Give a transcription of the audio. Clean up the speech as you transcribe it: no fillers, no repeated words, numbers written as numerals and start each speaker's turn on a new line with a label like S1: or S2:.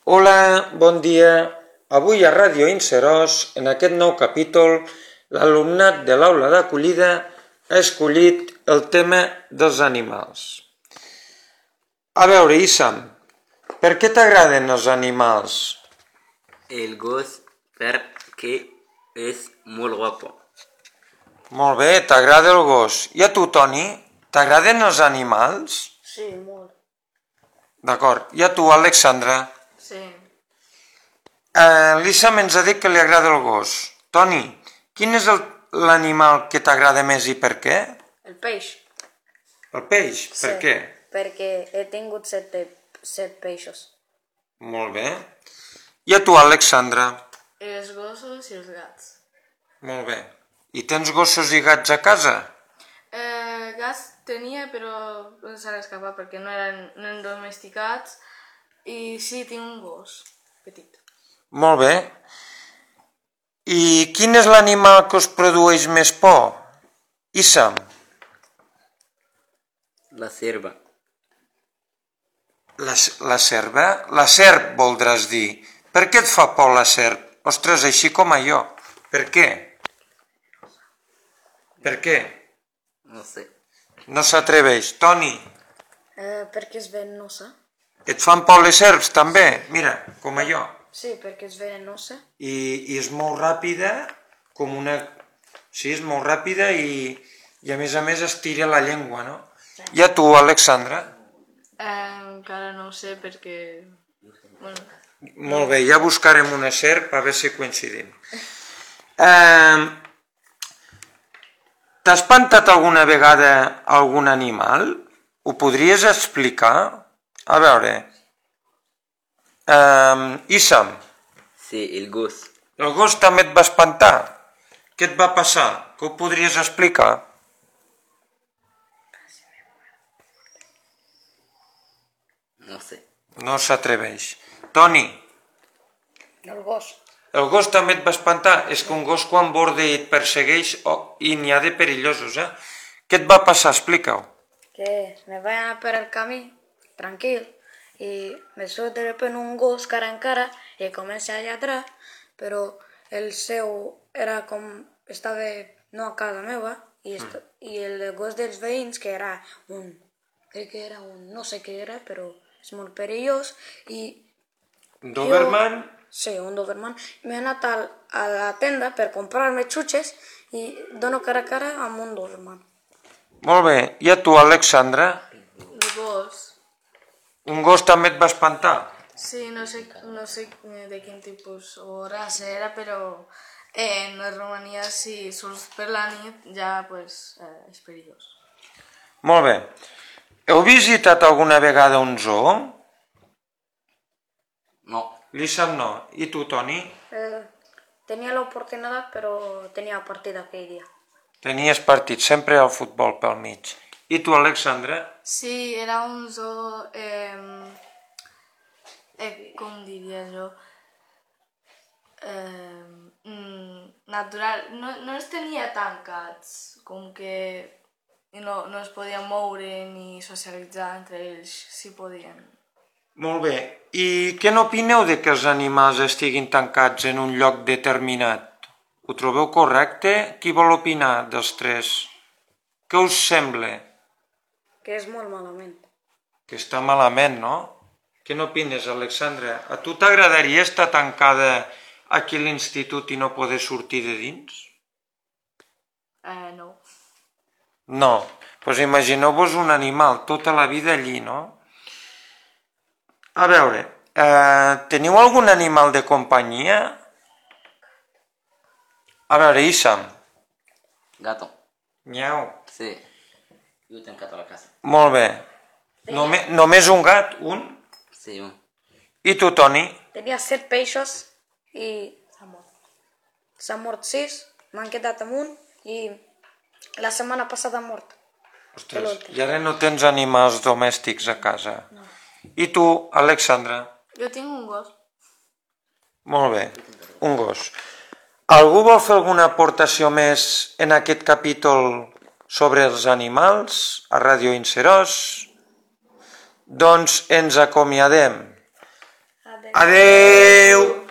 S1: Hola, bon dia. Avui a Ràdio Inserós, en aquest nou capítol, l'alumnat de l'aula d'acollida ha escollit el tema dels animals. A veure, Issam, per què t'agraden els animals?
S2: El gos perquè és molt guapo.
S1: Molt bé, t'agrada el gos. I a tu, Toni, t'agraden els animals?
S3: Sí, molt.
S1: D'acord. I a tu, Alexandra?
S3: Sí.
S1: L'Issam ens ha dit que li agrada el gos. Toni, quin és l'animal que t'agrada més i per què?
S3: El peix.
S1: El peix, per
S3: Sí,
S1: què?
S3: Perquè he tingut set peixos.
S1: Molt bé. I a tu, Alexandra?
S3: Els gossos i els gats.
S1: Molt bé. I tens gossos i gats a casa?
S3: Gats tenia, però s'han escapat perquè no eren domesticats. I sí, tinc un gos petit.
S1: Molt bé. I quin és l'animal que us produeix més por? Issam?
S2: La serva.
S1: La serva? La serp, voldràs dir. Per què et fa por la serp? Ostres, així com a jo. Per què? Per què?
S2: No sé.
S1: No s'atreveix. Toni,
S3: Perquè és venenosa.
S1: et fan por les serps també? Mira, com a jo.
S3: Sí, perquè és venenosa.
S1: I és molt ràpida, com una... Sí, és molt ràpida i a més estira la llengua, no? I a tu, Alexandra?
S3: Encara no ho sé perquè... Bueno,
S1: Molt bé, ja buscarem una serp a veure si coincidim. T'ha espantat alguna vegada algun animal? Ho podries explicar? A veure... Issam,
S2: Sí, el gos.
S1: el gos també et va espantar? Què et va passar? Que ho podries explicar?
S2: No sé.
S1: No s'atreveix. Toni,
S3: el gos.
S1: el gos també et va espantar? És que un gos quan borda i et persegueix i n'hi ha de perillosos, eh? Què et va passar? Explica-ho.
S3: Que me vaig anar per el camí, tranquil, i me surt de repente un gos cara en cara i comença a lladrar, però el seu era com... estava no a casa meva i el gos dels veïns, que era un... crec que era un... no sé què era, però és molt perillós i...
S1: Doberman?
S3: Sí, un Doberman. M'he anat a la tenda per comprar-me xutxes i dono cara a cara amb un Doberman.
S1: Molt bé. I a tu, Alexandra?
S3: El gos.
S1: Un gos també et va espantar?
S3: Sí, no sé de quin tipus o raça era, però en Romania si surts per la nit ja pues, és perillós.
S1: Molt bé. Heu visitat alguna vegada un zoo?
S2: No.
S1: L'Issam no. I tu, Toni?
S3: Tenia l'oportunitat, però tenia partit aquell dia.
S1: Tenies partit, sempre al futbol pel mig. I tu, Alexandra?
S3: Sí, era un zoo... com diria jo? Natural. No els tenia tancats, com que no es podien moure ni socialitzar entre ells, si podien.
S1: Molt bé. I què n'opineu de que els animals estiguin tancats en un lloc determinat? Ho trobeu correcte? Qui vol opinar dels tres? Què us sembla?
S3: Que és molt malament.
S1: Que està malament, no? Què n'opines, Alexandra? A tu t'agradaria estar tancada aquí a l'institut i no poder sortir de dins?
S3: No.
S1: No. Doncs imagineu-vos un animal tota la vida allí, no? A veure, teniu algun animal de companyia? A veure, Issam.
S2: Gato.
S1: Nyau.
S2: Sí. Jo tenc gato a la casa.
S1: Molt bé. Només un gat? Un?
S2: Sí, un.
S1: I tu, Toni?
S3: Tenia 7 peixos i s'han mort 6, m'han quedat amb un i la setmana passada han mort.
S1: Ostres, i ara no tens animals domèstics a casa?
S3: No.
S1: I tu, Alexandra?
S3: Jo tinc un gos.
S1: Molt bé, un gos. Algú vol fer alguna aportació més en aquest capítol sobre els animals a Ràdio Inserós? Doncs ens acomiadem.
S3: Adéu.
S1: Adeu!